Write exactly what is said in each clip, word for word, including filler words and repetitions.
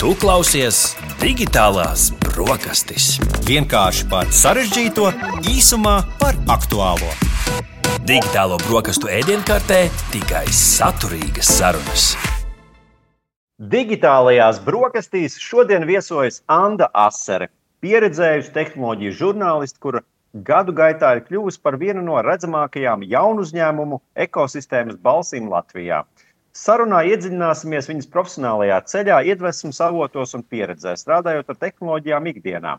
Tu klausies Digitālās brokastis. Vienkārši par sarežģīto, īsumā par aktuālo. Digitālo brokastu ēdienkartē tikai saturīgas sarunas. Digitālajās brokastīs šodien viesojas Anda Asere, pieredzējusi tehnoloģiju žurnālisti, kura gadu gaitā ir kļuvusi par vienu no redzamākajām jaunu uzņēmumu ekosistēmas balsīm Latvijā. Sarunā iedziļināsimies viņas profesionālajā ceļā, iedvesmas avotos un pieredzē, strādājot ar tehnoloģijām ikdienā.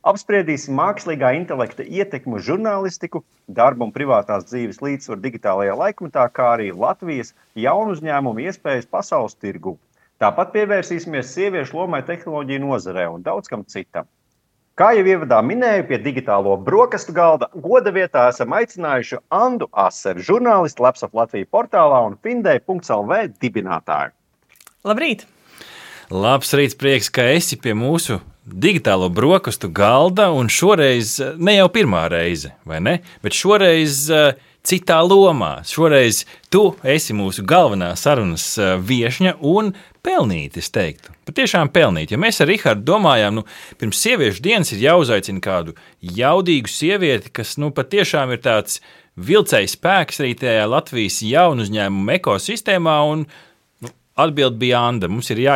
Apspriedīsim mākslīgā intelekta ietekmu uz žurnālistiku, darba un privātās dzīves līdzsvaru digitālajā laikmetā, kā arī Latvijas jaunu uzņēmumu iespējas pasaules tirgū. Tāpat pievērsīsimies sieviešu lomai tehnoloģiju nozarē un daudz kam citam. Kā jau ievadā minēju, pie digitālo brokastu galda goda vietā esam aicinājuši Andu Aseru, žurnālistu Lapsop Latvija portālā un Findei punkts el vē dibinātāju. Labrīt! Labs rīts, prieks, ka esi pie mūsu digitālo brokastu galda, un šoreiz ne jau pirmā reize, vai ne? Bet šoreiz uh, citā lomā. Šoreiz tu esi mūsu galvenā sarunas uh, viešņa un pelnīt, es teiktu. Patiešām pelnīt, jo mēs ar Rihardu domājām, nu, pirms sieviešu dienas ir jāuzaicina kādu jaudīgu sievieti, kas, nu, patiešām ir tāds vilcējs spēks arī tajā Latvijas jaunu uzņēmumu ekosistēmā, un nu, atbild bija Anda. Mums ir jā,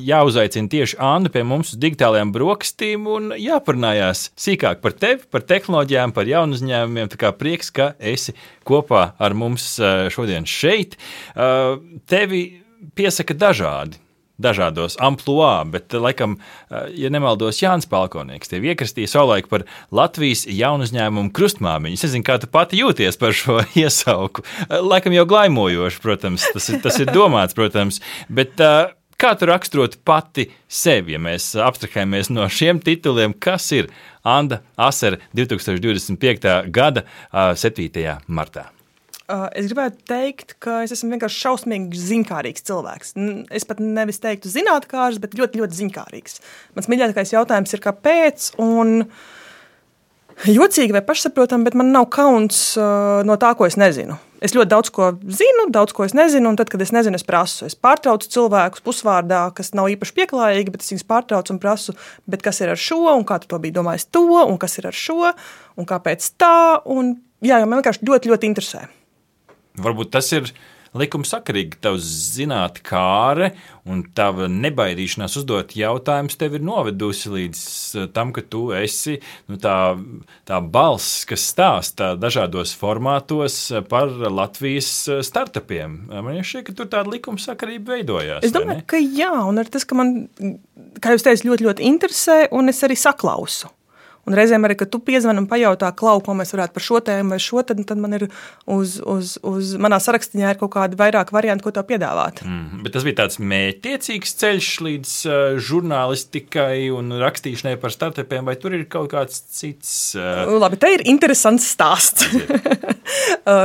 jāuzaicina tieši Anda pie mums uz digitālajām brokastīm un jāparunājās sīkāk par tevi, par tehnoloģijām, par jaunu uzņēmumiem. Tā kā prieks, ka esi kopā ar mums šodien šeit. Tevi piesaka dažādi, dažādos ampluā, bet, laikam, ja nemaldos, Jānis Palkonieks tevi iekratīja savulaik par Latvijas jaunu uzņēmumu krustmāmiņu. Es nezinu, kā tu pati jūties par šo iesauku. Laikam jau glaimojoši, protams, tas ir, tas ir domāts, protams, bet kā tu raksturot pati sevi, ja mēs abstrahējamies no šiem tituliem, kas ir Anda Asere divtūkstoš divdesmit piektā gada septītajā martā? Es gribētu teikt, ka es esmu vienkārši šausmīgi ziņkārīgs cilvēks. Es pat nevis teiktu zinātkārs, bet ļoti, ļoti ziņkārīgs. Mans mīļākais jautājums ir, kāpēc, un jocīgi vai pašsaprotam, bet man nav kauns no tā, ko es nezinu. Es ļoti daudz ko zinu, daudz ko es nezinu, un tad, kad es nezinu, es prasu. Es pārtraucu cilvēkus pusvārdā, kas nav īpaši pieklājīgi, bet es viņus pārtraucu un prasu, bet kas ir ar šo, un kā tu to biji domājis to, un kas ir ar šo, un kāpēc tā, un jā, man vienkārši ļoti, ļoti interesē. Varbūt tas ir likumsakarīgi, ka tavs zinātkāre un tava nebaidīšanās uzdot jautājumus tev ir novedusi līdz tam, ka tu esi nu, tā, tā balss, kas stāsta dažādos formātos par Latvijas startupiem. Man šķiet, ka tur tāda likumsakarība veidojās. Es domāju, ka jā, un ar tas, ka man, kā jūs teicat, ļoti, ļoti interesē, un es arī saklausu. Un reizēm arī, kad tu piezvani un pajautā, Klau, ko mēs varētu par šo tēmu vai šo, tad, tad man ir uz, uz, uz manā sarakstiņā ir kaut kādi vairāk varianti, ko tev piedāvāt. Mm, bet tas bija tāds mērķtiecīgs ceļš līdz uh, žurnālistikai un rakstīšanai par startupiem, vai tur ir kaut kāds cits? Uh... Labi, te ir interesants stāsts.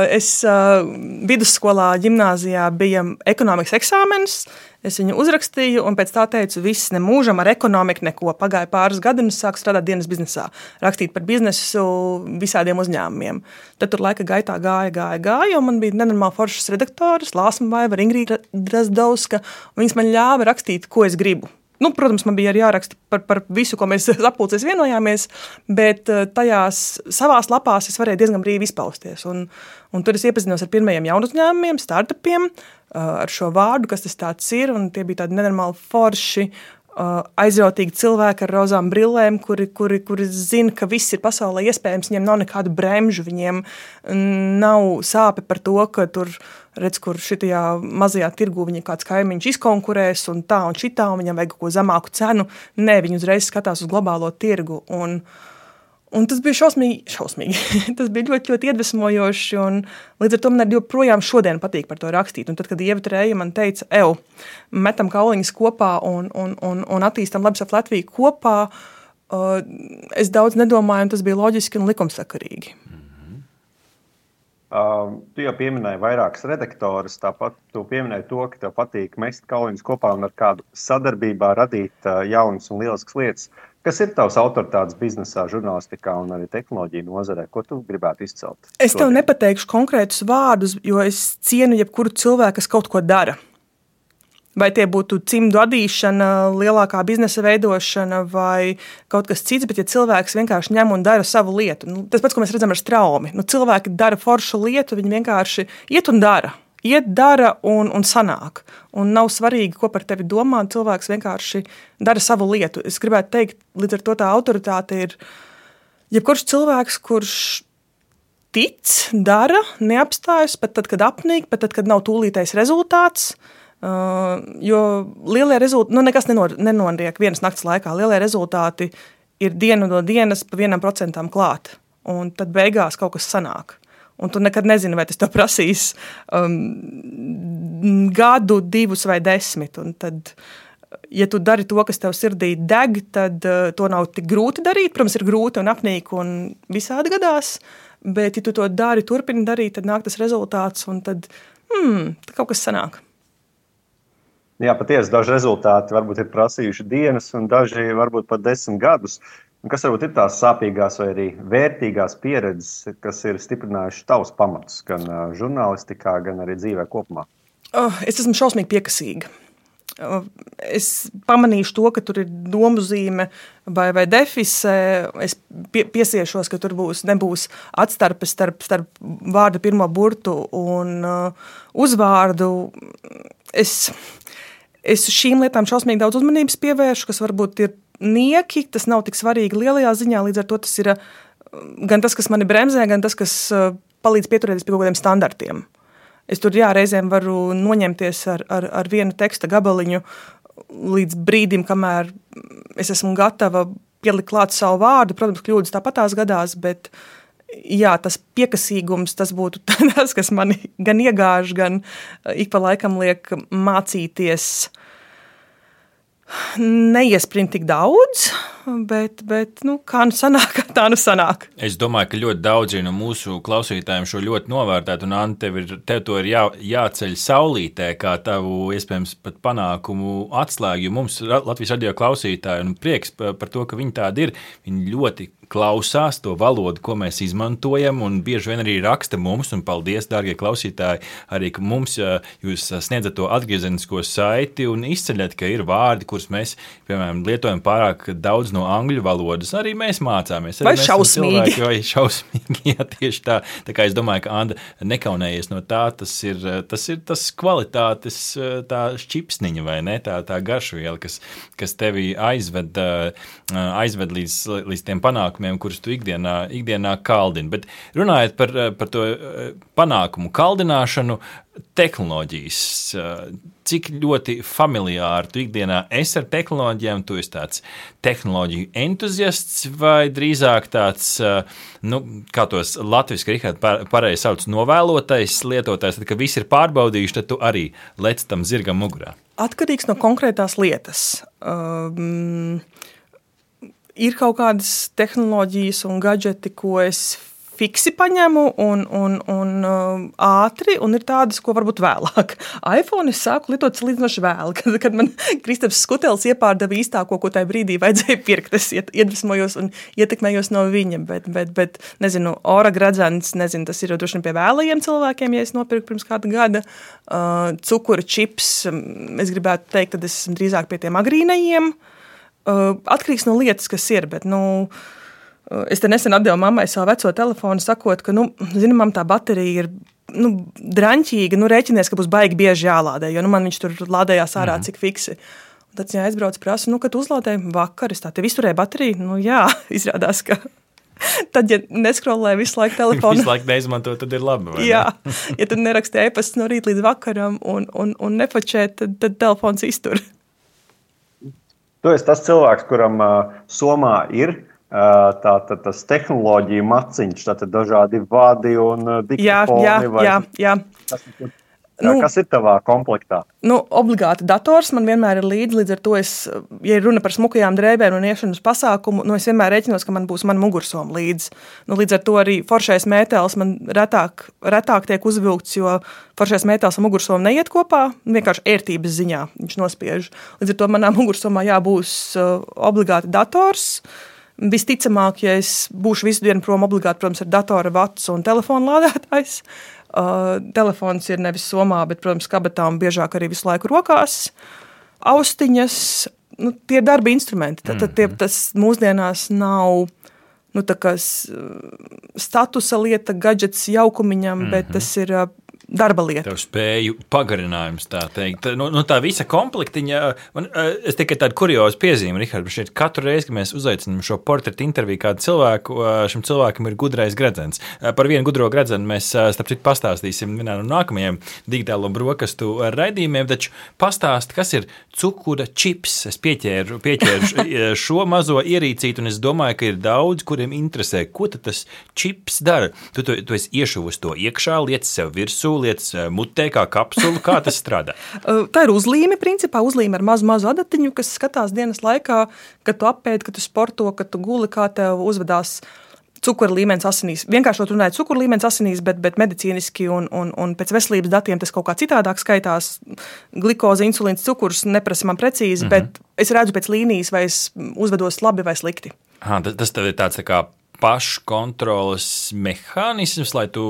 es uh, vidusskolā, ģimnāzijā bija ekonomikas eksāmenis. Es viņu uzrakstīju, un pēc tā teicu, viss nemūžam ar ekonomiku neko. Pagāja pāris gadi, un es sāku strādāt dienas biznesā, rakstīt par biznesu visādiem uzņēmumiem. Tad tur laika gaitā gāja, gāja, gāja, un man bija nenormāli foršas redaktoras, Lāsma Vaiva, Ingrīda Drazdauska, un viņas man ļāva rakstīt, ko es gribu. Nu, protams, man bija arī jāraksta par, par visu, ko mēs sapulcēs vienojāmies, bet tajās savās lapās es varēju diezgan brīvi izpausties. Un, un tur es iepazinos ar pirmajiem jaunu uzņēmumiem, startupiem, ar šo vārdu, kas tas tāds ir, un tie bija tādi nenormāli forši, aizrautīgi cilvēki ar rozām brillēm, kuri, kuri, kuri zina, ka viss ir pasaulē iespējams, viņiem nav nekādu bremžu, viņiem nav sāpe par to, ka tur, redz, kur šitajā mazajā tirgu viņa kāds kaimiņš izkonkurēs un tā un šitā, un viņam vajag kaut ko zemāku cenu. Nē, viņi uzreiz skatās uz globālo tirgu, un Un tas bija šausmīgi, šausmīgi. tas bija ļoti, ļoti iedvesmojoši, un līdz ar to man arī joprojām šodien patīk par to rakstīt. Un tad, kad Ieva Trēja man teica, ev, metam kauliņas kopā un, un, un, un attīstam Lapsop Latviju kopā, uh, es daudz nedomāju, un tas bija loģiski un likumsakarīgi. Mm-hmm. Uh, tu jau pieminēji vairākas redaktoras, tāpat tu pieminēji to, ka tev patīk mest kauliņas kopā un ar kādu sadarbībā radīt uh, jaunas un lieliskas lietas. Kas ir tavs autoritātes biznesā, žurnālistikā un arī tehnoloģiju nozarē? Ko tu gribētu izcelt? Es tev nepateikšu konkrētus vārdus, jo es cienu jebkuru cilvēku, kas kaut ko dara. vai tie būtu cimdu adīšana, lielākā biznesa veidošana vai kaut kas cits, bet ja cilvēks vienkārši ņem un dara savu lietu, nu, tas pats, ko mēs redzam ar Straumi, nu, cilvēki dara foršu lietu, viņi vienkārši iet un dara, iet, dara un, un sanāk, un nav svarīgi, ko par tevi domā, cilvēks vienkārši dara savu lietu. Es gribētu teikt, līdz ar to tā autoritāte ir jebkurš cilvēks, kurš tic, dara, neapstājas, pat tad, kad apnīk, pat tad, kad nav tūlītais rezultāts, uh, jo lielie rezultāti, nu nekas nenor, nenoriek vienas nakts laikā, lielie rezultāti ir dienu no dienas pa vienam procentam klāt, un tad beigās kaut kas sanāk. Un tu nekad nezini, vai tas tev prasīs um, gadu, divus vai desmit, un tad, ja tu dari to, kas tev sirdī deg, tad uh, to nav tik grūti darīt, protams, ir grūti un apnīk un visādi gadās, bet, ja tu to dari, turpini darīt, tad nāk tas rezultāts, un tad, hmm, tad kaut kas sanāk. Jā, patiesi, daži rezultāti varbūt ir prasījuši dienas, un daži varbūt pat desmit gadus. Un kas varbūt ir tās sāpīgās vai arī vērtīgās pieredzes, kas ir stiprinājuši tavus pamatus, gan žurnālistikā, gan arī dzīvē kopumā? Oh, es esmu šausmīgi piekasīga. Es pamanīšu to, ka tur ir domuzīme vai, vai defise, es pie, piesiešos, ka tur būs, nebūs atstarpe starp, starp vārda pirmo burtu un uh, uzvārdu. Es, es šīm lietām šausmīgi daudz uzmanības pievēršu, kas varbūt ir nieki, tas nav tik svarīgi lielajā ziņā, līdz ar to tas ir uh, gan tas, kas mani bremzē, gan tas, kas uh, palīdz pieturēties pie kaut kādiem standartiem. Es tur jā, reizēm varu noņemties ar, ar, ar vienu teksta gabaliņu līdz brīdim, kamēr es esmu gatava pielikt klāt savu vārdu. Protams, kļūdas tāpatās gadās, bet jā, tas piekasīgums, tas būtu tas, kas mani gan iegāž, gan ik pa laikam liek mācīties neiesprint tik daudz, bet, bet nu, kā nu sanāk, tā nu sanāk. Es domāju, ka ļoti daudzi no mūsu klausītājiem šo ļoti novērtētu, un Anta, tev, ir, tev to ir jā, jāceļ saulītē, kā tavu, iespējams, pat panākumu atslēgu, jo mums Latvijas radio klausītāji, un prieks par, par to, ka viņi tādi ir, viņi ļoti klausās to valodu, ko mēs izmantojam, un bieži vien arī raksta mums, un paldies, dārgie klausītāji, arī, ka mums jūs sniedzat to atgriezenisko saiti un izceļat, ka ir vārdi, kurus mēs, piemēram, lietojam pārāk daudz no angļu valodas, arī mēs mācāmies. Arī vai mēs šausmīgi. Cilvēki, vai šausmīgi, jā, tieši tā. Tā kā es domāju, ka Anda nekaunējies no tā, tas ir tas, ir tas kvalitātes tā šķipsniņa, vai ne, tā, tā garšviela, kas, kas tevi aizved, aizved līdz, līdz tiem panākumiem, kurus tu ikdienā, ikdienā kaldini. Bet runājot par, par to panākumu kaldināšanu, tehnoloģijas, cik ļoti familiāri tu ikdienā esi ar tehnoloģijām, tu esi tāds tehnoloģiju entuziasts vai drīzāk tāds, nu, kā tos latviski Rihard pareizi sauc, novēlotais lietotājs, tad, kad visi ir pārbaudījuši, tad tu arī lec tam zirgam mugurā? Atkarīgs no konkrētās lietas. Um, ir kaut kādas tehnoloģijas un gadžeti, ko es fiksi paņemu un, un, un uh, ātri, un ir tādas, ko varbūt vēlāk. iPhone es sāku lietot salīdzinoši vēl, kad, kad man Kristaps Skutelis iepārdeva īstāko, ko tajā brīdī vajadzēja pirkt. Es iedvesmojos un ietekmējos no viņa, bet, bet, bet nezinu, ora gradzens, nezinu, tas ir jau droši vien pie vēlajiem cilvēkiem, ja es nopirku pirms kāda gada. Uh, cukura čips, es gribētu teikt, tad es esmu drīzāk pie tiem agrīnajiem. Uh, atkarīgs no lietas, kas ir, bet, nu, es te nesen atdevu mammai savu veco telefonu, sakot, ka, nu, zini, mam, tā baterija ir, nu, draņķīga, nu, rēķinies, ka būs baigi bieži jālādē, jo, nu, man viņš tur lādējās ārā, mm. cik fiksi. Un tad, ja aizbrauc prasu, nu, kad uzlādēju vakar, es tā, tev izturēja bateriju? Nu, jā, izrādās, ka tad, ja neskrolē visu laiku telefonu. Visu laiku neizmanto, tad ir labi, vai jā, ne? Ja tu neraksti e-pasts no rīt līdz vakaram un, un, un nefačē, tad, tad telefons iztur. Tu esi tas cilvēks, kuram uh, somā ir Tā, tā, tas tehnoloģija maciņš, tātad dažādi vādi un diktafoni. Jā, jā, vai, jā, jā. Kas, nu, kas ir tavā komplektā? Nu, obligāti dators man vienmēr ir līdzi, līdz ar to es, ja runa par smukajām drēbēm un iešanu uz pasākumu, nu, es vienmēr rēķinos, ka man būs man mugursoma līdzi. Nu, līdz ar to arī foršais mētels man retāk, retāk tiek uzvilkts, jo foršais mētels un mugursoma neiet kopā, vienkārši ērtības ziņā viņš nospiež. Līdz ar to manā mugursomā jābūs uh, obligāti dators. Visticamāk, ja es būšu visu dienu prom obligāti, protams, ar datora vats un telefonu lādētājs, Uh, telefons ir nevis somā, bet, protams, kabatā un biežāk arī visu laiku rokās. Austiņas, nu, tie ir darba instrumenti. Tad, tad tie, tas mūsdienās nav nu, tā kā statusa lieta, gadžets jaukumiņam, mm-hmm. bet tas ir darba lieta. Tev spēju pagarinājums, tā teikt. Nu, nu tā visa komplektiņa, man, es tikai tādu kuriozu piezīmi, Rihard, šeit katru reizi, kad mēs uzaicinām šo portretu interviju kādu cilvēku, šim cilvēkam ir gudrais gredzens. Par vienu gudro gredzenu mēs, starp citu, pastāstīsim vienā no nākamajiem digitālo brokastu raidījumiem, taču pastāst, kas ir cukura čips. Es pieķēru, pieķēru šo mazo ierīcīti, un es domāju, ka ir daudz, kuriem interesē, ko tad tas čips dara. Tu, tu, tu esi iešuvis to iekšā, liec sev virsū, lietas mutē kā kapsulu, kā tas strādā? Tā ir uzlīme, principā uzlīme ar mazu, mazu adatiņu, kas skatās dienas laikā, kad tu apēd, kad tu sporto, kad tu guli, kā tev uzvedās cukura līmenis asinīs. Vienkārši runājot cukura līmenis asinīs, bet, bet medicīniski un, un, un pēc veselības datiem tas kaut kā citādāk skaitās. Glikoze, insulīns, cukurs neprasa man precīzi, mm-hmm. bet es redzu pēc līnijas, vai es uzvedos labi vai slikti. Ha, tas, tas tev ir tāds tā kā paškontroles mehānisms, lai tu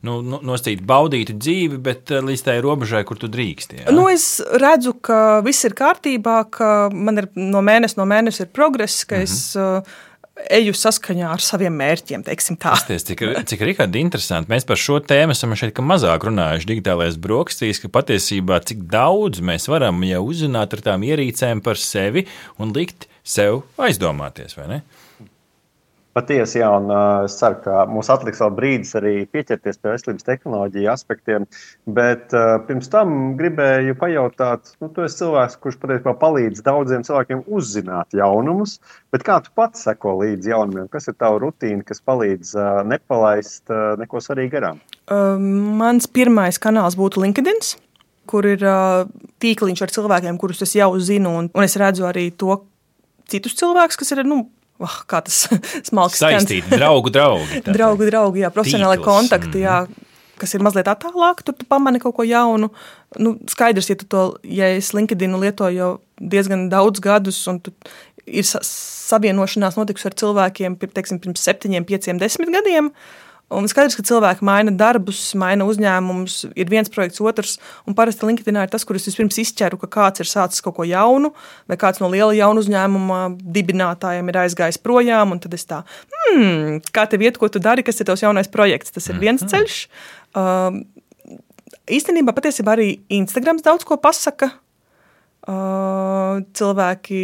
nu, nosacītu baudītu dzīvi, bet līdz tai robežai, kur tu drīksti. Ja? Nu, es redzu, ka viss ir kārtībā, ka man ir no mēnesi no mēnesi ir progress, ka mm-hmm. es uh, eju saskaņā ar saviem mērķiem, teiksim tā. Pasties, cik, cik Rihardi interesanti. Mēs par šo tēmu esam šeit ka mazāk runājuši digitālais brokastīs, ka patiesībā cik daudz mēs varam jau uzzināt ar tām ierīcēm par sevi un likt sev aizdomāties, vai ne? Patiesi, jā, un uh, es ceru, ka mums atliks vēl brīdis arī pieķerties pie veselības tehnoloģiju aspektiem, bet uh, pirms tam gribēju pajautāt, nu, tu esi cilvēks, kurš patiesībā palīdz daudziem cilvēkiem uzzināt jaunumus, bet kā tu pats seko līdz jaunumiem? Kas ir tava rutīna, kas palīdz uh, nepalaist uh, neko svarīgi garām? Uh, mans pirmais kanāls būtu LinkedIn, kur ir uh, tīkliņš ar cilvēkiem, kurus es jau zinu, un, un es redzu arī to citus cilvēkus, kas ir, nu, Oh, kā tas smalki saistīti, draugu, draugi. draugu, draugi, jā, profesionāli Tīkls. kontakti, jā, kas ir mazliet attālāk, tur tu pamani kaut ko jaunu. Nu, skaidrs, ja tu to, ja es LinkedInu lietoju jau diezgan daudz gadus, un tu ir savienošanās notikusi ar cilvēkiem, teiksim, pirms septiņiem, pieciem, desmit gadiem, un skaidrs, ka cilvēki maina darbus, maina uzņēmumus, ir viens projekts, otrs, un parasti LinkedInā ir tas, kur es vispirms izķeru, ka kāds ir sācis kaut ko jaunu, vai kāds no liela jaunu uzņēmuma dibinātājiem ir aizgājis projām, un tad es tā, hmm, kā tev iet, ko tu dari, kas ir tavs jaunais projekts, tas ir viens ceļš. Uh, īstenībā patiesībā arī Instagrams daudz ko pasaka. Uh, cilvēki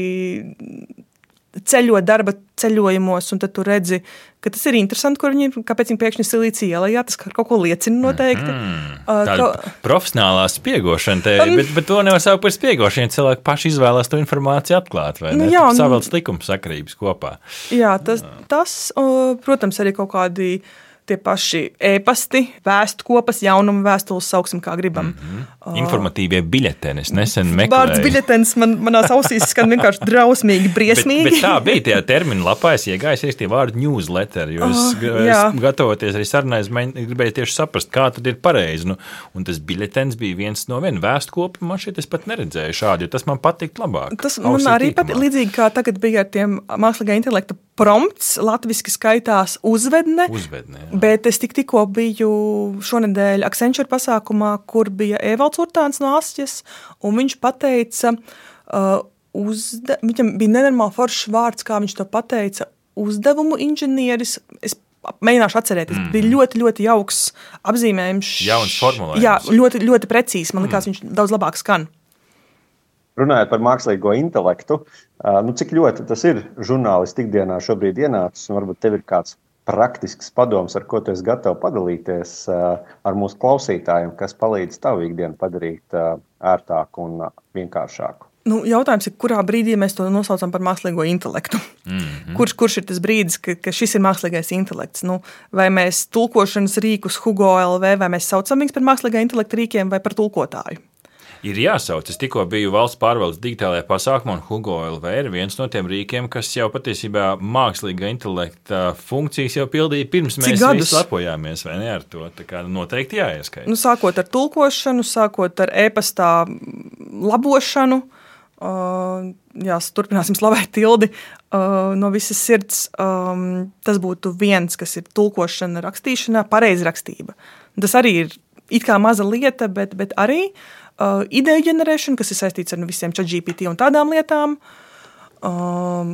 ceļot darba ceļojumos, un tad tu redzi, ka tas ir interesanti, kur viņi, kāpēc viņi pēkšņi Silīcija ielā, tas kaut ko liecina noteikti. Mm, tāda uh, ka... profesionālā spiegošana te, um, bet, bet to nevar saukt par spiegošanu, cilvēki paši izvēlās to informāciju atklāt, vai ne? Nu, jā, un... Savelc likuma sakarības kopā. Jā, tas, tas uh, protams, arī kaut kādi tie paši ēpasti, vēstkopas, jaunumu vēstules, sauksim kā gribam. Mm-hmm. Uh, Informatīvie biļeteni, es nesen meklēju. Vārds biļetenis man, manās ausīs skan vienkārši drausmīgi, briesmīgi. bet, bet tā bija tajā termina lapā, es iegājos arī tie vārdi newsletter, jo es, uh, es gatavoties arī sarunai, es gribēju tieši saprast, kā tad ir pareizi. Nu, un tas biļetenis bija viens no viena vēstkopa, man šeit es pat neredzēju šādi, jo tas man patikt labāk. Tas man arī pat līdzīgi kā tagad bija ar tiem mākslīgā intelekta prompts, latviski skaitās uzvedne, uzvedne bet es tik tikko biju šonedēļ Accenture pasākumā, kur bija Evalds Urtāns no Asķes, un viņš pateica, uh, uzde, viņam bija nenormāli foršs vārds, kā viņš to pateica, uzdevumu inženieris, es mēģināšu atcerēties, mm. bija ļoti, ļoti jauks apzīmējums. Jauns formulējums. Jā, ļoti, ļoti precīzi, man likās, mm. viņš daudz labāk skan. Runājot par mākslīgo intelektu, nu, cik ļoti tas ir žurnālisti ikdienā šobrīd ienācis, un varbūt tev ir kāds praktisks padoms, ar ko tu esi gatavs padalīties ar mūsu klausītājiem, kas palīdz tavu ikdienu padarīt ērtāku un vienkāršāku? Nu, jautājums ir, kurā brīdī mēs to nosaucam par mākslīgo intelektu? Mm-hmm. Kurš, kurš ir tas brīdis, ka, ka šis ir mākslīgais intelekts? Nu, vai mēs tulkošanas rīkus Hugo L V, vai mēs saucam viņus par mākslīgā intelekta rīkiem vai par tulkotāju? Ir jāsauc. Es tikko biju valsts pārvaldes digitālajā pasākumā, un Hugo L V ir viens no tiem rīkiem, kas jau patiesībā mākslīgā intelekta funkcijas jau pildīja pirms Cik mēs gadus? visi lepojāmies, vai ne ar to? Tā kā noteikti jāieskaita. Nu, sākot ar tulkošanu, sākot ar e-pastā labošanu, Uh, jā, turpināsim slavēt Tildi uh, no visas sirds. Um, tas būtu viens, kas ir tulkošana, rakstīšanā, pareizrakstība. Tas arī ir it kā maza lieta, bet, bet arī uh, ideju ģenerēšana, kas ir saistīts ar visiem ChatGPT un tādām lietām, um,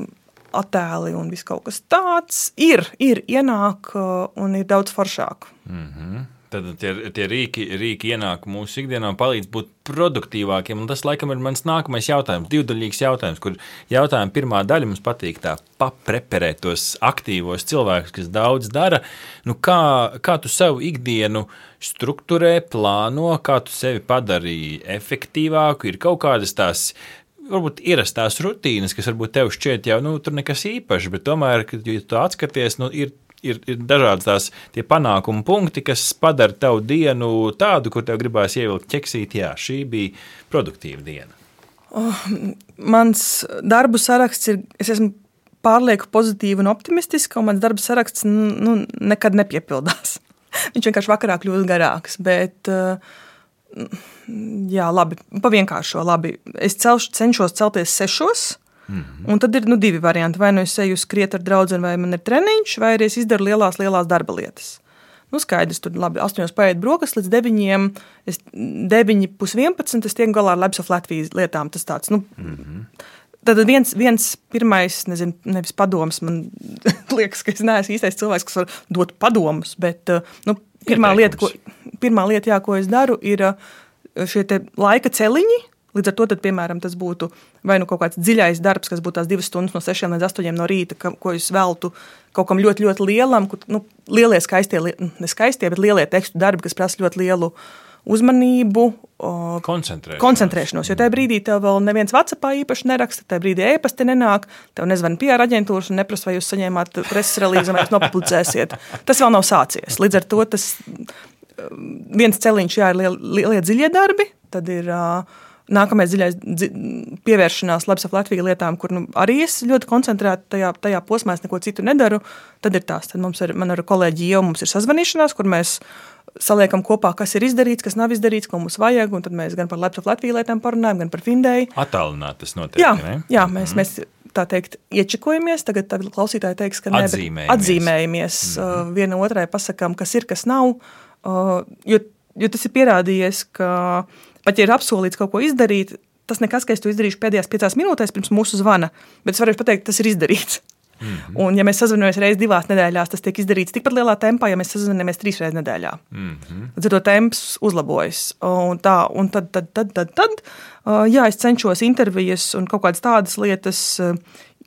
attēli un viss kaut kas tāds ir, ir ienāk uh, un ir daudz foršāk. Mm-hmm. Tad tie, tie rīki, rīki ienāk mūsu ikdienā un palīdz būt produktīvākiem. Un tas, laikam, ir mans nākamais jautājums, divdaļīgs jautājums, kur jautājuma pirmā daļa mums patīk tā papreperēt tos aktīvos cilvēkus, kas daudz dara. Nu, kā, kā tu savu ikdienu strukturē, plāno, kā tu sevi padarīji efektīvāku, ir kaut kādas tās varbūt ierastās rutīnas, kas varbūt tev šķiet jau, nu, tur nekas īpašs, bet tomēr, kad ja tu atskaties, nu, ir Ir, ir dažādas tās tie panākumu punkti, kas padara tavu dienu tādu, kur tev gribās ievilkt ķeksīt, jā, šī bija produktīva diena. Oh, mans darbu saraksts ir, es esmu pārlieku pozitīva un optimistiska, un mans darba saraksts nu, nekad nepiepildās. Viņš vienkārši vakarā kļūst garāks, bet jā, labi, pa vienkāršo, labi. Es celš, cenšos celties sešos, Mm-hmm. Un tad ir nu, divi varianti. Vai nu es eju skriet ar draudzeni, vai man ir treniņš, vai arī es izdaru lielās, lielās darba lietas. Nu, skaidrs, tur labi, astoņos paēd brokas līdz deviņiem, es deviņi pus vienpadsmit, es tiek galā ar Labs of Latvijas lietām. Tas tāds, nu, mm-hmm. Tad viens, viens pirmais, nezinu, nevis padoms, man liekas, ka es neesmu īstais cilvēks, kas var dot padomus, bet, nu, pirmā lieta, ko, pirmā lieta, jā, ko es daru, ir šie te laika celiņi. Līdz ar to, tad, piemēram, tas būtu vai nu kaut kāds dziļais darbs, kas būtu tās divas stundas no sešiem līdz astoņiem no rīta, ka, ko es veltu kaut kam ļoti, ļoti lielam, kur, nu, lielie skaistie, ne skaistie, bet lielie tekstu darbi, kas prasa ļoti lielu uzmanību, koncentrēšanos. koncentrēšanos, jo tajā brīdī tev vēl neviens WhatsAppā īpaši neraksta, tajā brīdī e-pasti nenāk, tev nezvana P R aģentūras un neprasa, vai jūs saņēmāt preses relīzi, vai jūs nopublicēsiet. Tas vēl nav sācies. Līdz ar to tas viens celiņš, jā, ir lielie, lielie dziļie darbi, tad ir nākamais dziļais dzi, pievēršanās Labs of Latvija lietām, kur nu, arī es ļoti koncentrēti tajā, tajā posmā, es neko citu nedaru, tad ir tās. Tad mums ir, man ar kolēģi jau mums ir sazvanīšanās, kur mēs saliekam kopā, kas ir izdarīts, kas nav izdarīts, ko mums vajag, un tad mēs gan par Labs of Latvija lietām parunājam, gan par Findēju. Attālināt tas notiek, jā, ne? Jā, mēs, mm. mēs tā teikt iečekojamies, tagad, tagad klausītāji teiks, ka ne, atzīmējamies, atzīmējamies. Mm. Uh, viena otrai pasakām, kas ir, kas nav, uh, jo, jo tas ir pierādījies, ka pat ja ir apsolīts kaut ko izdarīt, tas nekas, ka es to izdarīšu pēdējās piecās minūtēs pirms mūsu zvana, bet es varēšu pateikt, tas ir izdarīts. Mm-hmm. Un ja mēs sazvanamies reizi divās nedēļās, tas tiek izdarīts tikpat lielā tempā, ja mēs sazvanamies trīs reizes nedēļā. Mm-hmm. Tad to temps uzlabojas. Un, tā, un tad, tad, tad, tad, tad, jā, es cenšos intervijas un kaut kādas tādas lietas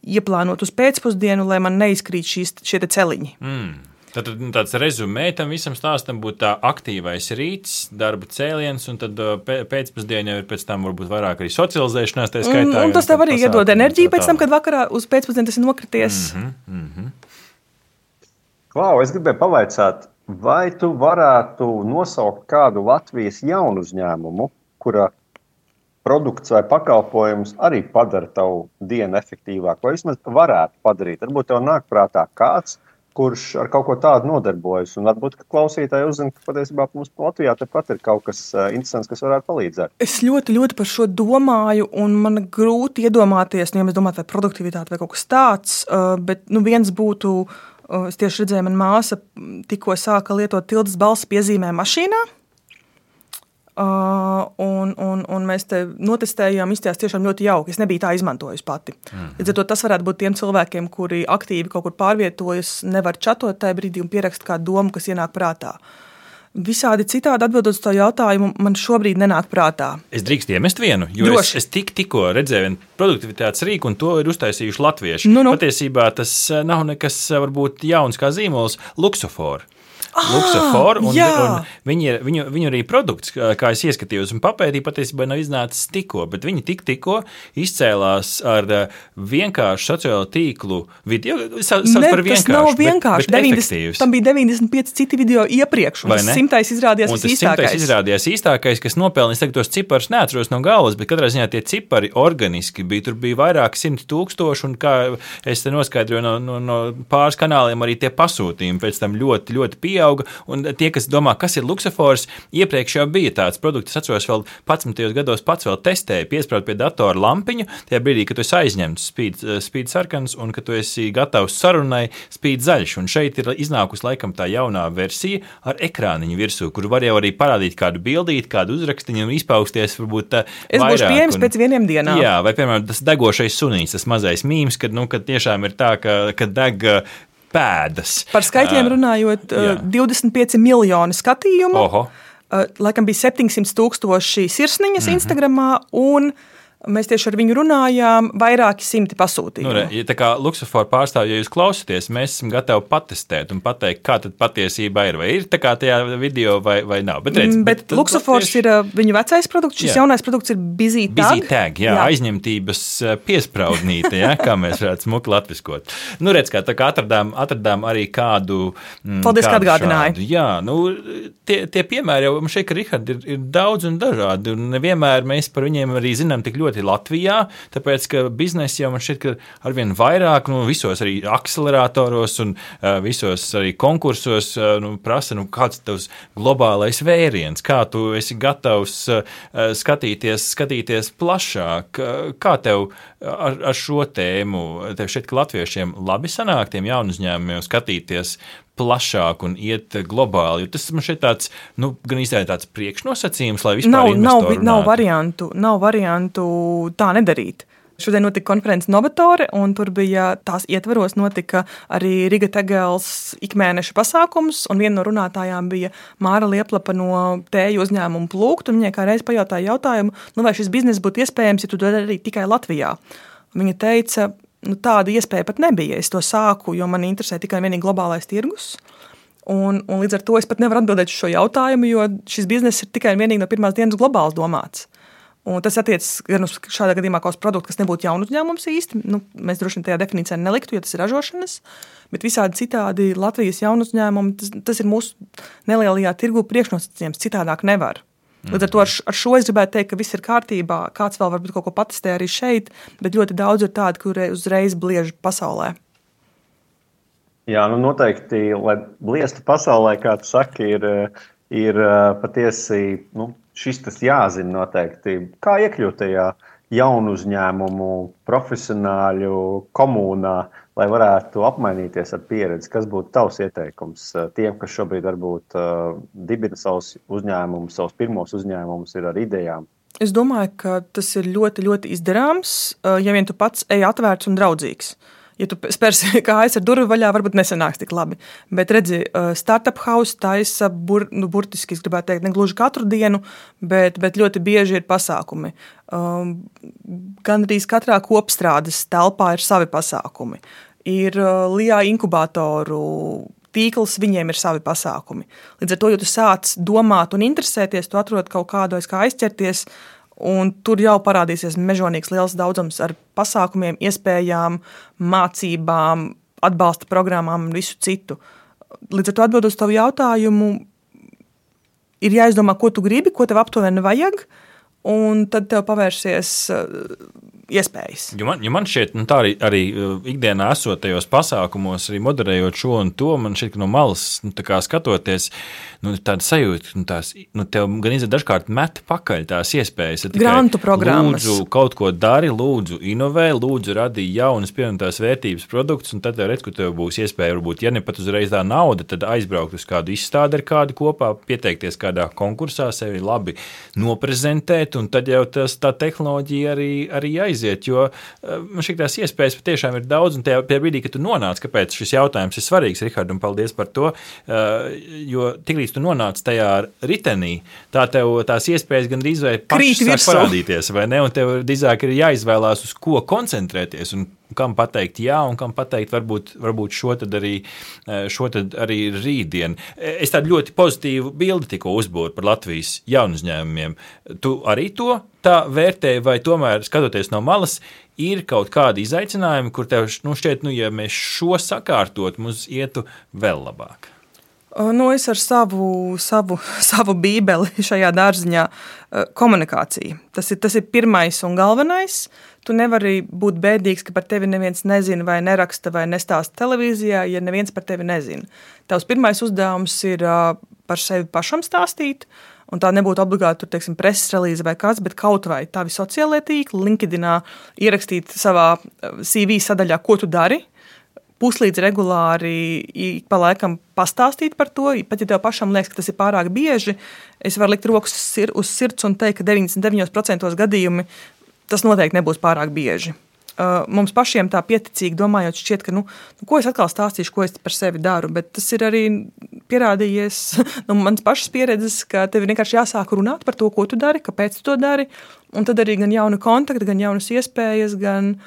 ieplānot uz pēcpusdienu, lai man neizkrīt šīs, šie te celiņi. Mm. Tad tāds rezumē tam visam stāstam būtu tā aktīvais rīts, darba cēliens, un tad pēcpusdienā jau ir pēc tam varbūt vairāk arī socializēšanās, tā skaitā. Un, un tas tev arī iedod enerģiju pēc tam, kad vakarā uz pēcpusdienu tas ir nokrities. Mm-hmm, mm-hmm. Klau, es gribēju pavaicāt, vai tu varētu nosaukt kādu Latvijas jaunu uzņēmumu, kura produkts vai pakalpojums arī padara tavu dienu efektīvāk, vai vismaz varētu padarīt. Varbūt tev nāk prātā kāds, kurš ar kaut ko tādu nodarbojas. Un varbūt, ka klausītāji uzzina, ka patiesībā mums Latvijā tepat ir kaut kas uh, interesants, kas varētu palīdzēt. Es ļoti, ļoti par šo domāju, un man grūti iedomāties, nu, ja mēs domātu, vai produktivitāte vai kaut kas tāds, uh, bet nu, viens būtu, uh, es tieši redzēju, man māsa tikko sāka lietot Tildes balss piezīmē mašīnā, Uh, un, un, un mēs te notestējām, izstījās tiešām ļoti jauki. Es nebiju tā izmantojusi pati. Mm. Līdz ar to tas varētu būt tiem cilvēkiem, kuri aktīvi kaut kur pārvietojas, nevar čatot tajā brīdī un pierakst kādu domu, kas ienāk prātā. Visādi citādi atbildot uz to jautājumu, man šobrīd nenāk prātā. Es drīkst iemest vienu, jo Droši. es, es tik, tikko redzēju vienu produktivitātes rīku, un to ir uztaisījuši latvieši. Nu, nu. Patiesībā tas nav nekas varbūt jauns kā zīmols, Luxofor. Ah, Luxofor, un, jā. un viņi, viņu, viņu arī produkts, kā es ieskatījos un papētīju, patiesībā nav iznācis tikko, bet viņi tik tikko izcēlās ar vienkāršu sociālo tīklu video. Sauc ne, par vienkāršu, tas nav vienkārši. Bet, bet deviņdesmit, tam bija deviņdesmit pieci citi video iepriekš, un tas simtais izrādījās un tas īstākais. simtais izrādījās īstākais, kas nopelnīs, tagad tos ciparus neatceros no galvas, bet katrā ziņā tie cipari organiski bija, tur bija vairāk simti tūkstoši, un kā es te noskaidroju no, no, no pāris kanāliem, arī tie pasūtījumi pēc tam ļoti, ļoti pieauga. pieauga. Un tie, kas domā, kas ir luksofors, iepriekš jau bija tāds produkts. Es atceros, vēl padsmitajos gados pats vēl testēju, piesprādu pie datora lampiņu, tajā brīdī, kad tu esi aizņemts spīd, spīd sarkans un ka tu esi gatavs sarunai spīd zaļš. Un šeit ir iznākusi laikam tā jaunā versija ar ekrāniņu virsū, kur var jau arī parādīt kādu bildīti, kādu uzrakstiņu un izpausties varbūt tā es vairāk. Es būšu pieejams pēc vieniem dienām. Jā, vai piemēram tas degošais sunīts, tas mazais mīms, kad, nu, kad tiešām ir tā, ka, ka deg pēdas. Par skaitļiem runājot, uh, divdesmit pieci miljoni skatījumu, Oho. uh, laikam bija septiņsimt tūkstoši sirsniņas mm-hmm. Instagramā un mēs tieši ar viņu runājām, vairāki simti pasūtījumu. Nu, re, ja tā kā Luxofor pārstāvji, ja jūs klausāties, mēs esam gatavi patestēt un pateikt, kā tad patiesībā ir. Vai ir tā kā tajā video vai, vai nav. Bet, redz, bet, bet Luxofors tieši... ir viņu vecais produkts, šis jā. jaunais produkts ir Busy Tag. Busy Tag, jā, jā. Aizņemtības piespraudnīte, jā, kā mēs varētu smuki latviskot. Nu, redz, kā tā kā atradām, atradām arī kādu... Mm, Paldies, kādu ka atgādināji. Šādu. Jā, nu, tie, tie piemēri jau šeit, ka Rihard ir, ir daudz un dažādi, un nevienmēr mēs par viņiem arī zinām tik ļoti Latvijā, tāpēc, ka biznesi jau man šķiet, ka arvien vairāk, nu, visos arī akceleratoros un uh, visos arī konkursos uh, nu, prasa, nu, kāds tavs globālais vēriens, kā tu esi gatavs uh, skatīties, skatīties plašāk, uh, kā tev ar, ar šo tēmu, tev šķiet, ka latviešiem labi sanāk tiem jaunu uzņēmumiem skatīties plašāk un iet globāli, jo tas man šeit tāds, nu, gan īstenībā tāds priekšnosacījums, lai vispār nav, investori nav, nav variantu, nav variantu tā nedarīt. Šodien notika konferences Novatore, un tur bija tās ietveros notika arī Riga Tegels ikmēneša pasākums, un viena no runātājām bija Māra Lieplapa no tēju uzņēmumu Plūkt, un viņai kā reiz pajautāja jautājumu, nu vai šis biznes būtu iespējams, ja tu to darītu tikai Latvijā. Un viņa teica, nu, tāda iespēja pat nebija. Es to sāku, jo man interesē tikai vienīgi globālais tirgus. Un, un līdz ar to es pat nevaru atbildēt uz šo jautājumu, jo šis bizness ir tikai vienīgi no pirmās dienas globāls domāts. Un tas attiecas gan uz šādā gadījumā kā uz produktu, kas nebūtu jaunu uzņēmums īsti. Nu, mēs droši vien tajā definīcijā neliktu, jo tas ir ražošanas. Bet visādi citādi Latvijas jaunu uzņēmumu, tas, tas ir mūsu nelielajā tirgu priekšnosacījums. Citādāk nevar. Līdz ar to ar, ar šo es gribētu teikt, ka viss ir kārtībā. Kāds vēl varbūt kaut ko patestē arī šeit, bet ļoti daudz ir tādi, kuri uzreiz bliež pasaulē. Jā, nu noteikti, lai bliestu pasaulē, kā tu saki, ir, ir patiesi, nu, šis tas jāzina noteikti. Kā iekļūt tajā jaunu uzņēmumu, profesionāļu komunā, lai varētu apmainīties ar pieredzi? Kas būtu tavs ieteikums tiem, kas šobrīd varbūt uh, dibina savus uzņēmumus, savus pirmos uzņēmumus, ir ar idejām? Es domāju, ka tas ir ļoti, ļoti izdarāms, ja vien tu pats ej atvērts un draudzīgs. Ja tu spērsi kājas ar durvi vaļā, varbūt nesanāks tik labi. Bet redzi, Startup House taisa bur, nu, burtiski, es gribētu teikt, ne gluži katru dienu, bet, bet ļoti bieži ir pasākumi. Um, gan arī katrā kopstrādes telpā ir savi pasākumi. Ir uh, Lijā inkubatoru tīkls, viņiem ir savi pasākumi. Līdz ar to, ja tu sāc domāt un interesēties, tu atrod kaut kādu aiz kā aizķerties, un tur jau parādīsies mežonīgs liels daudzums ar pasākumiem, iespējām, mācībām, atbalsta programmām un visu citu. Līdz ar to atbildot uz tavu jautājumu, ir jāizdomā, ko tu gribi, ko tev aptuveni vajag, un tad tev pavērsies iespējas. Jo man, jo man šķiet, nu, tā arī, arī ikdienā esot tajos pasākumos, arī moderējot šo un to, man šķiet, ka no malas, nu, tā kā skatoties, nu, tāda sajūta, nu, tās, nu, tev gan izdev dažkārt met pakaļ tās iespējas. Grantu programmas. Lūdzu, kaut ko dari, lūdzu, inovē, lūdzu, radī jaunas pievienotās vērtības produktus, un tad tev redz, ka tev būs iespēja, varbūt, ja ne pat uzreiz tā nauda, tad aizbraukt uz kādu izstādi ar kādu kopā, pieteikties kādā konkursā, sevi labi noprezentēt, un tad jau tas, tā tehnoloģija arī, arī aiziet, jo man šķiet tās iespējas patiešām ir daudz, un tajā brīdī, kad tu nonāc, kāpēc šis jautājums ir svarīgs, Rihard, un paldies par to, jo tiklīdz tu nonāc tajā ritenī, tā tev tās iespējas gan drīz vai pašas sāk parādīties, vai ne, un tev drīzāk ir jāizvēlās, uz ko koncentrēties, un kam pateikt jā, un kam pateikt varbūt, varbūt šo tad arī, šo tad arī rītdien. Es tādu ļoti pozitīvu bildi tikko uzbūru par Latvijas jaunu uzņēmumiem. Tu arī to tā vērtēji, vai tomēr, skatoties no malas, ir kaut kādi izaicinājumi, kur tev, nu, šķiet, nu, ja mēs šo sakārtot, mums ietu vēl labāk? Nu, es ar savu, savu, savu bībeli šajā dārziņā komunikācija. Tas ir, tas ir pirmais un galvenais. tu nevari būt bēdīgs, ka par tevi neviens nezina vai neraksta vai nestāsta televīzijā, ja neviens par tevi nezina. Tavs pirmais uzdevums ir par sevi pašam stāstīt, un tā nebūtu obligāti, tur, teiksim, preses relīze vai kāds, bet kaut vai tavi sociālie tīkli, LinkedInā ierakstīt savā C V sadaļā, ko tu dari, puslīdz regulāri ik pa laikam pastāstīt par to, pat ja tev pašam liekas, ka tas ir pārāk bieži, es varu likt rokas uz sirds un teikt, ka deviņdesmit deviņos procentos gadījumi tas noteikti nebūs pārāk bieži. Mums pašiem tā pieticīgi domājot šķiet, ka, nu, ko es atkal stāstīšu, ko es par sevi daru, bet tas ir arī pierādījies, nu, mans pašas pieredzes, ka tev ir vienkārši jāsāk runāt par to, ko tu dari, kāpēc tu to dari, un tad arī gan jauni kontakti, gan jaunas iespējas, gan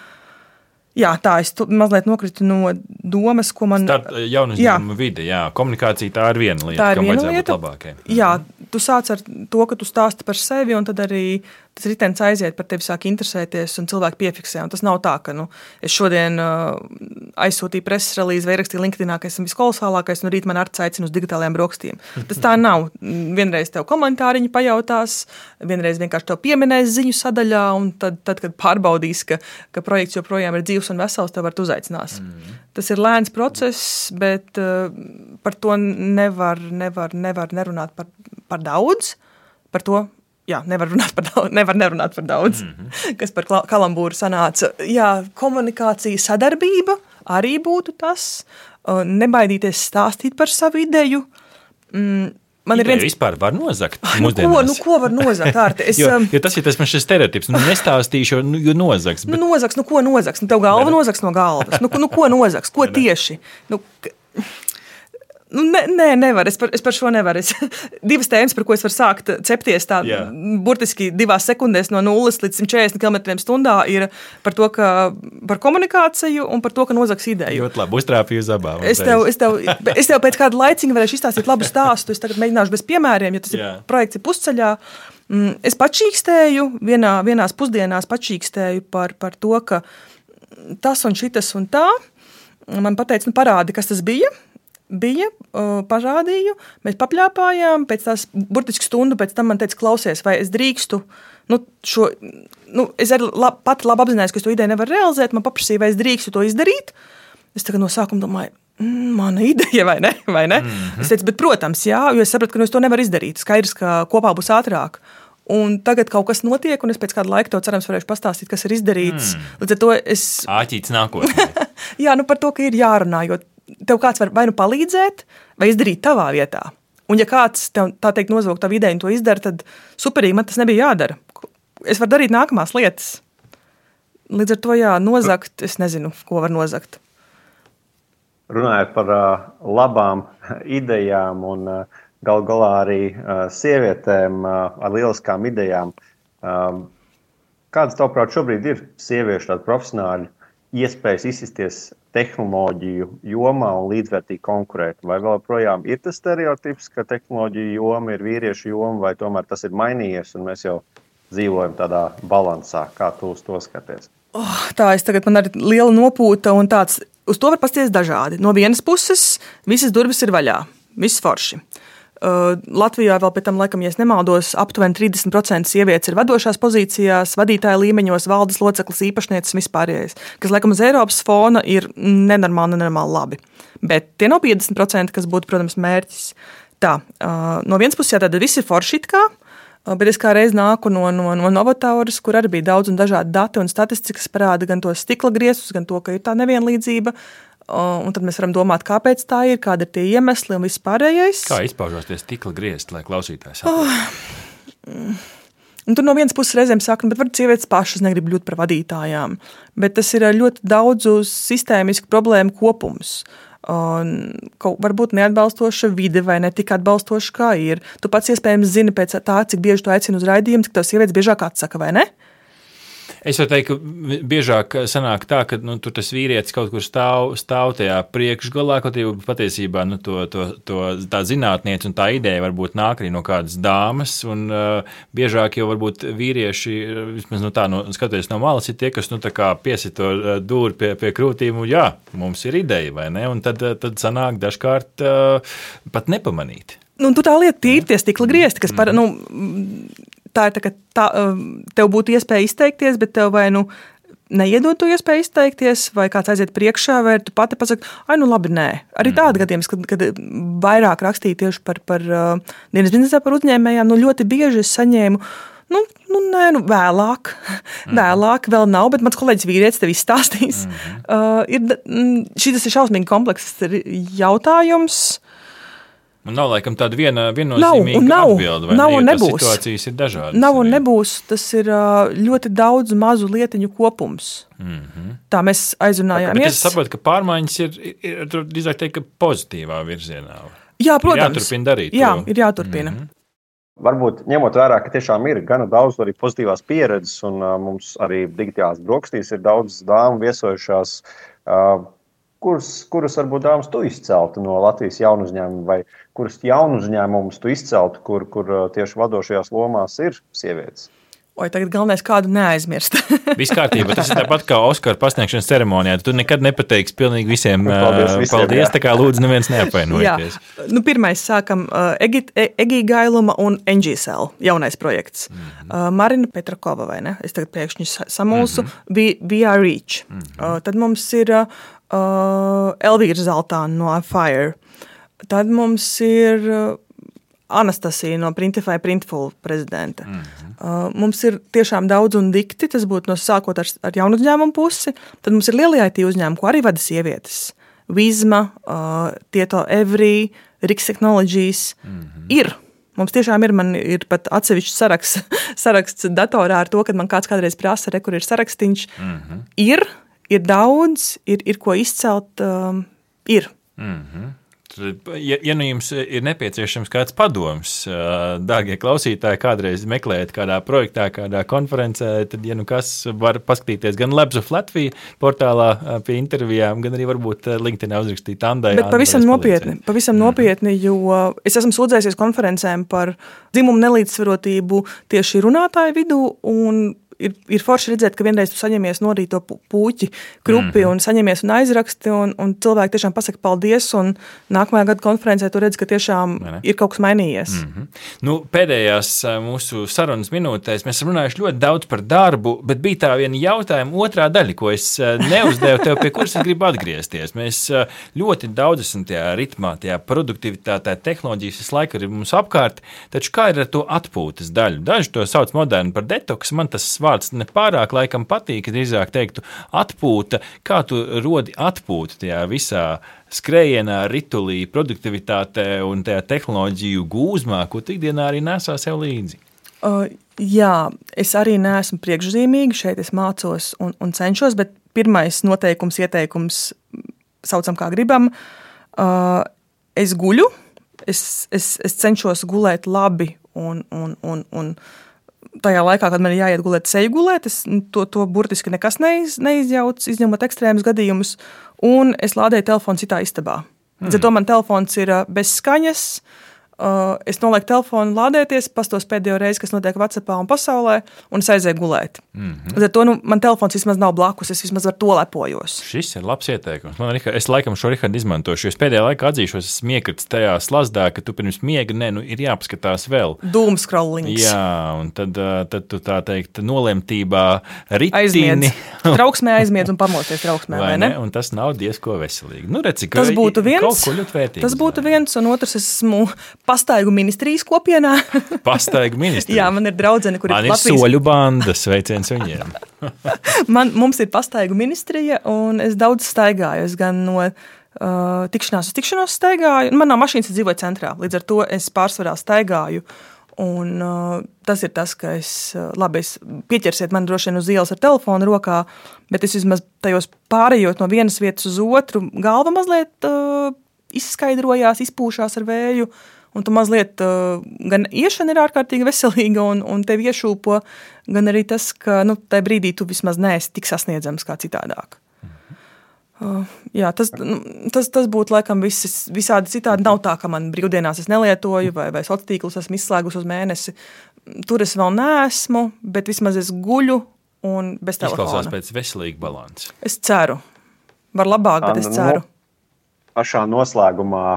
Jā, tā es tu, mazliet nokritu no domas, ko man... Start jaunu uzņēmumu vide, jā. Komunikācija tā ir viena lieta, kam vajadzētu būt labākai. Jā, tu sāc ar to, ka tu stāsti par sevi, un tad arī tas ritens aiziet par tevi, sāk interesēties, un cilvēki piefiksē. Un tas nav tā, ka nu, es šodien uh, aizsūtīju preses relīzi vai rakstīju LinkedInā, ka esmu viskolosālākais, un rīt man Arts aicina uz digitālajām brokastīm. Tas tā nav. Vienreiz tev komentāriņi pajautās, vienreiz vienkārši tev pieminēs ziņu sadaļā, un tad, tad kad pārbaudīs, ka, ka projekts joprojām ir dzīvs un vesels, tev var uzaicinās. Mm. Tas ir lēns process, bet uh, par to nevar, nevar, nevar nerunāt par, par daudz, par to, jā, nevar runāt par daudz, nevar nerunāt par daudz, mm-hmm. kas par kalambūru sanāca. Jā, komunikācija, sadarbība arī būtu tas, uh, nebaidīties stāstīt par savu ideju. Mm, Man Ideja ir viens... vispār var nozagt nu, ko, nu, ko var nozagt, Ārti? Es, jo, jo tas ir tas man šis stereotips. Nu, nestāstīšu, jo, jo nozaks. Bet... Nu, nozaks, nu ko nozaks? Nu, tev galva nozaks no galvas. Nu, nu ko nozaks? Ko tieši? Nu, k... nu, ne, nē, nevar. Es par, es par šo nevaru. Es, divas tēmas, par ko es varu sākt cepties tā Jā. burtiski divās sekundēs no nulles līdz simt četrdesmit kilometriem stundā ir par to, ka par komunikāciju un par to, ka nozaks ideju. Ļoti labi, uztrāpīju uz abām. Es tev, es, tev, es tev pēc kāda laiciņa varēšu izstāstīt labu stāstu. Es tagad mēģināšu bez piemēriem, jo tas ir, projekts ir pusceļā. Es pačīkstēju, vienā, vienās pusdienās pačīkstēju par, par to, ka tas un šitas un tā. Man pateica, nu parādi, kas tas bija. Bija, uh, parādīju, mēs papļāpājām, pēc tās burtiski stundu pēc tam man teica, klausies, vai es drīkstu, nu, šo, nu, es arī lab, pati labi apzinājos, ka es to ideju nevaru realizēt, man paprasīja, vai es drīkstu to izdarīt. Es tagad no sākuma domāju, mm, mana ideja, vai ne? Vai ne? Mm-hmm. Es teicu, bet, protams, jā, jo es sapratu, ka nu, es to nevaru izdarīt. Skaidrs, ka kopā būs ātrāk. Un tagad kaut kas notiek, un es pēc kāda laika to cerams varēšu pastāstīt, kas ir izdarīts. Mm. Līdz ar to es... Āķīts nākotnē. Jā, nu par to, ka ir jārunā, jo tev kāds var vai nu palīdzēt, vai izdarīt tavā vietā. Un ja kāds tev, tā teikt, nozvog tavu ideju un to izdara, tad superīgi, man tas nebija jādara. Es varu darīt nākamās lietas. Līdz ar to, jā, nozagt, es nezinu, ko var nozagt. Runājot par uh, labām idejām un uh, gal galā arī uh, sievietēm uh, ar lieliskām idejām, um, kādas, tavuprāt, šobrīd ir sieviešu tādi profesionāļi iespējas izsisties tehnoloģiju jomā un līdzvērtīgi konkurēt? Vai vēl projām ir tas stereotips, ka tehnoloģiju joma ir vīriešu joma, vai tomēr tas ir mainījies un mēs jau dzīvojam tādā balansā? Kā tu uz to skaties? Oh, tā, es tagad man arī liela nopūta un tāds, uz to var pasties dažādi. No vienas puses, visas durvis ir vaļā, viss forši. Uh, Latvijā vēl pēc tam, laikam, ja es nemaldos, aptuveni trīsdesmit procenti sievietes ir vadošās pozīcijās, vadītāja līmeņos, valdes loceklis, īpašnieces vispārējais, kas, laikam, uz Eiropas fona ir nenormāli, nenormāli labi. Bet tie nav piecdesmit procenti, kas būtu, protams, mērķis. Tā, uh, no vienas puses, jā, tad viss ir forši it kā, uh, bet es kā reiz nāku no, no, no Novatoras, kur arī bija daudz un dažādi dati un statistikas parāda gan tos stikla griestus, gan to, ka ir tā nevienlīdzība. Un tad mēs varam domāt, kāpēc tā ir, kāda ir tie iemesli un viss pārējais. Kā izpaužās tie stikla griezti, lai klausītājs saprastu? Oh. Un tur no vienas puses reizēm saka, bet varbūt sievietes pašas negrib kļūt par vadītājām. Bet tas ir ļoti daudzu sistēmisku problēmu kopums. Un kaut varbūt neatbalstoša vide vai ne tik atbalstoša, kā ir. Tu pats iespējams zini pēc tā, cik bieži tu aicini uz raidījumu, cik tev sievietes biežāk atsaka, vai ne? Es varu teikt, ka biežāk sanāk tā, ka nu, tur tas vīrietis kaut kur stāv, stāv tajā priekšgalā, kaut arī patiesībā nu, to, to, to, tā zinātniece un tā ideja varbūt nāk arī no kādas dāmas, un uh, biežāk jau varbūt vīrieši, vismaz nu, tā, no, skatoties no malas, ir tie, kas nu, tā kā piesit to dūri pie, pie krūtīm, un jā, mums ir ideja, vai ne? Un tad, tad sanāk dažkārt uh, pat nepamanīt. Nu, tu tā lieta tīri tie stikla griezti, kas par, nu, tā ir tā, ka tā, tev būtu iespēja izteikties, bet tev vai nu neiedod to iespēju izteikties, vai kāds aiziet priekšā, vai tu pati pasaki, ai, nu labi, nē. Arī tādi gadījums, kad, kad vairāk rakstīja tieši par, par uh, dienas biznesā par uzņēmējām, nu ļoti bieži es saņēmu, nu, nu nē, nu vēlāk, mm. vēlāk vēl nav, bet mans kolēģis vīrietis tev izstāstīs. Mm. Uh, ir, šis ir šausmīgi komplekss jautājums. Un nav laikam tāda viena viennozīmīga nav, atbilde, vai nav ne, un jo nebūs. Situācijas ir dažādas. Nav un arī. nebūs, tas ir ļoti daudz mazu lietiņu kopums. Mm-hmm. Tā mēs aizrunājāmies. Bet es saprotu, ka pārmaiņas ir, ir, ir drīzāk teikt, ka pozitīvā virzienā. Jā, protams. Ir jāturpina darīt Jā, to. ir jāturpina. Mm-hmm. Varbūt ņemot vērā, ka tiešām ir gana daudz arī pozitīvās pieredzes, un uh, mums arī digitālās brokastīs ir daudz dāmu viesojušās, uh, kuras, kuras varbūt dāmas tu izceltu no Latvijas jaunu uzņēmumu, vai kuras jaunu uzņēmumus tu izceltu, kur, kur uh, tieši vadošajās lomās ir sievietes? Oi, tagad galvenais kādu neaizmirst. Viss kārtībā, tas ir tāpat kā Oskara pasniegšanas ceremonijā. Tu nekad nepateiksi pilnīgi visiem paldies, visiem, paldies jā. Tā kā lūdzu neviens neapvainojieties. Nu, pirmais sākam uh, Egija Gailuma un N G S L, jaunais projekts. Mm-hmm. Uh, Marina Petrakova, vai ne? Es tagad pēkšņi samulsu. Mm-hmm. We, we are Reach. Mm-hmm. Uh, tad mums ir uh, Elvīra Zaltāna no iFire. Tad mums ir uh, Anastasija no Printify Printful prezidenta. Mm-hmm. Uh, mums ir tiešām daudz un dikti, tas būtu no sākot ar, ar jaunu uzņēmumu pusi. Tad mums ir lielie I T uzņēmumi, ko arī vada sievietes. Vizma, uh, Tieto Every, Rix Technologies. Mm-hmm. Ir. Mums tiešām ir, man ir pat atsevišķs saraksts, saraksts datorā ar to, kad man kāds kādreiz prasa, re, kur ir sarakstiņš. Mm-hmm. Ir, ir daudz, ir, ir ko izcelt, um, ir. Mm-hmm. Ja, ja nu jums ir nepieciešams kāds padoms, dārgie klausītāji, kādreiz meklējat kādā projektā, kādā konferencē, tad, ja nu kas, var paskatīties gan Labs of Latvija portālā pie intervijām, gan arī varbūt LinkedInā uzrakstīt Andai. Bet pavisam nopietni, pavisam mm. nopietni, jo es esmu sūdzējusies konferencēm par dzimumu nelīdzsvarotību tieši runātāju vidū, un Ir, ir forši redzēt, ka vienreiz tu saņemies norīt to puķi krupi mm-hmm. un saņemies un aizraksti, un, un cilvēki tiešām pasaka paldies, un nākamajā gada konferencē tu redz, ka tiešām ir kaut kas mainījies. Mm-hmm. Nu, pēdējās mūsu sarunas minūtēs mēs runājuši ļoti daudz par darbu, bet bija tā viena jautājuma otrā daļa, ko es neuzdevu tev, pie kuras es gribu atgriezties. Mēs ļoti daudz esam tajā ritmā, tajā produktivitātē, tehnoloģijas visu laiku ir mums apkārt, taču kā ir ar to atpūtas daļu? Daži to sauc moderni par detoks, man tas vārds nepārāk laikam patīk, drīzāk teiktu atpūta. Kā tu rodi atpūtu tajā visā skrējienā, ritulī, produktivitātē un tajā tehnoloģiju gūzmā, ko tu ikdienā arī nesā sev līdzi? Uh, jā, es arī neesmu priekšzīmīgi, šeit es mācos un, un cenšos, bet pirmais noteikums, ieteikums, saucam kā gribam, uh, es guļu, es, es, es cenšos gulēt labi un, un, un, un tajā laikā, kad man ir jāiet gulēt, seju gulēt, es to, to burtiski nekas neiz, neizjauc, izņemot ekstrēmus gadījumus, un es lādēju telefonu citā istabā. Mm. Zato man telefons ir bez skaņas, uh, es nolieku telefonu lādēties, pastos pēdējo reizi, kas notiek WhatsAppā un pasaulē, un es aizēju gulēt. Mm-hmm. Zato nu, man telefons vismaz nav blakus, es vismaz ar to lepojos. Šis ir labs ieteikums. Man, es laikam šo Rihardu izmantošu, jo es pēdējā laikā atzīšos, esmu iekrits tajā slazdā, ka tu pirms miega, ne, nu, ir jāpaskatās vēl. Doom scrollings. Jā, un tad, tad tu tā teikt nolemtībā ritini. Aizmiedz. Trauksmē aizmiedz un pamosties trauksmē, vai, vai ne? Un tas nav diezko veselīgi. Nu, redzi, ka tas būtu viens, kaut ko ļoti vērtīgs. Tas būtu viens, un otrs esmu pastaigu ministrijas kopienā. Pastaigu ministrija? Jā, man ir draudzene, kur man ir Latvijas... Man ir soļu banda, sveiciens viņiem. man, mums ir pastaigu ministrija, un es daudz staigāju. Es gan no uh, tikšanās uz tikšanos staigāju. Manā mašīnas dzīvoja centrā, līdz ar to es pārsvarā staigāju. Un uh, tas ir tas, ka es, uh, labi, es pieķersiet man droši vien uz ielas ar telefonu rokā, bet es vismaz tajos pārējot no vienas vietas uz otru, galva mazliet uh, izskaidrojās, izpūšās ar vēju, un tu mazliet uh, gan iešana ir ārkārtīgi veselīga, un, un tev iešūpo, gan arī tas, ka, nu, tajā brīdī tu vismaz neesi tik sasniedzams kā citādāk. Uh, jā, tas, tas, tas būtu laikam viss, visādi citādi. Nav tā, ka man brīvdienās es nelietoju vai, vai sociālos tīklus esmu izslēgus uz mēnesi. Tur es vēl neesmu, bet vismaz es guļu un bez telefona. Izklausās pēc veselīga balansa. Es ceru. Var labāk, bet es ceru. No, pašā noslēgumā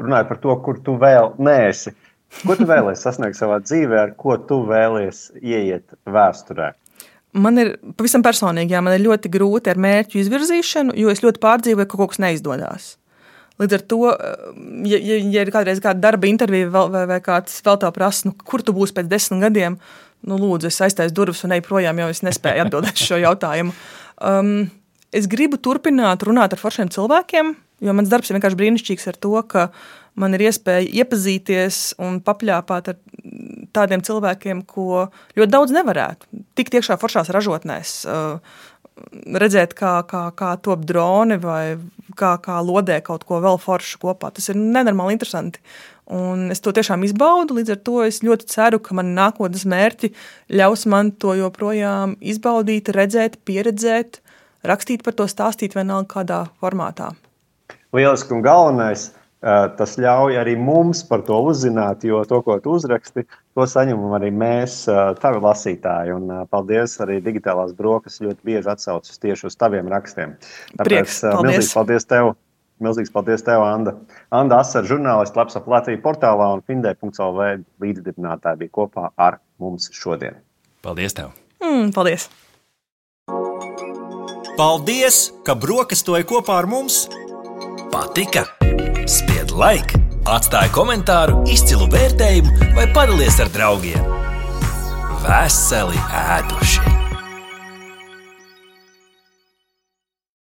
runāju par to, kur tu vēl neesi. Ko tu vēlies sasniegt savā dzīvē, ar ko tu vēlies ieiet vēsturē? Man ir pavisam personīgi, jā, man ir ļoti grūti ar mērķu izvirzīšanu, jo es ļoti pārdzīvoju, ka kaut kas neizdodas. Līdz ar to, ja, ja, ja ir kādreiz kāda darba intervija vai, vai, vai kāds vēl tā prasa, nu, kur tu būsi pēc desmit gadiem, nu, lūdzu, es aiztaisu durvis un eju projām, jo es nespēju atbildēt šo jautājumu. Um, es gribu turpināt runāt ar foršiem cilvēkiem, jo mans darbs ir vienkārši brīnišķīgs ar to, ka man ir iespēja iepazīties un papļāpāt ar tādiem cilvēkiem, ko ļoti daudz nevarētu. Tikt iekšā foršās ražotnēs, redzēt, kā, kā, kā top droni vai kā, kā lodē kaut ko vēl foršu kopā. Tas ir nenormāli interesanti. Un es to tiešām izbaudu, līdz ar to es ļoti ceru, ka mani nākotnes mērķi ļaus man to joprojām izbaudīt, redzēt, pieredzēt, rakstīt par to, stāstīt vienalga kādā formātā. Lieliski un galvenais, tas ļauj arī mums par to uzzināt, jo to, ko tu uzraksti, to saņemam arī mēs, tavi lasītāji. Un paldies arī Digitālās brokastis ļoti bieži atsaucas tieši uz taviem rakstiem. Prieks, paldies. Milzīgs paldies tev, milzīgs paldies tev, Anda. Anda Asar, žurnālists Labs ap Latviju portālā un Findē punkts el vē līdzdibinātāji bija kopā ar mums šodien. Paldies tev. Mm, paldies. Paldies, ka brokastoji kopā ar mums! Patika? Spied like, atstāj komentāru, izcilu vērtējumu vai padalies ar draugiem. Veseli ēdošie!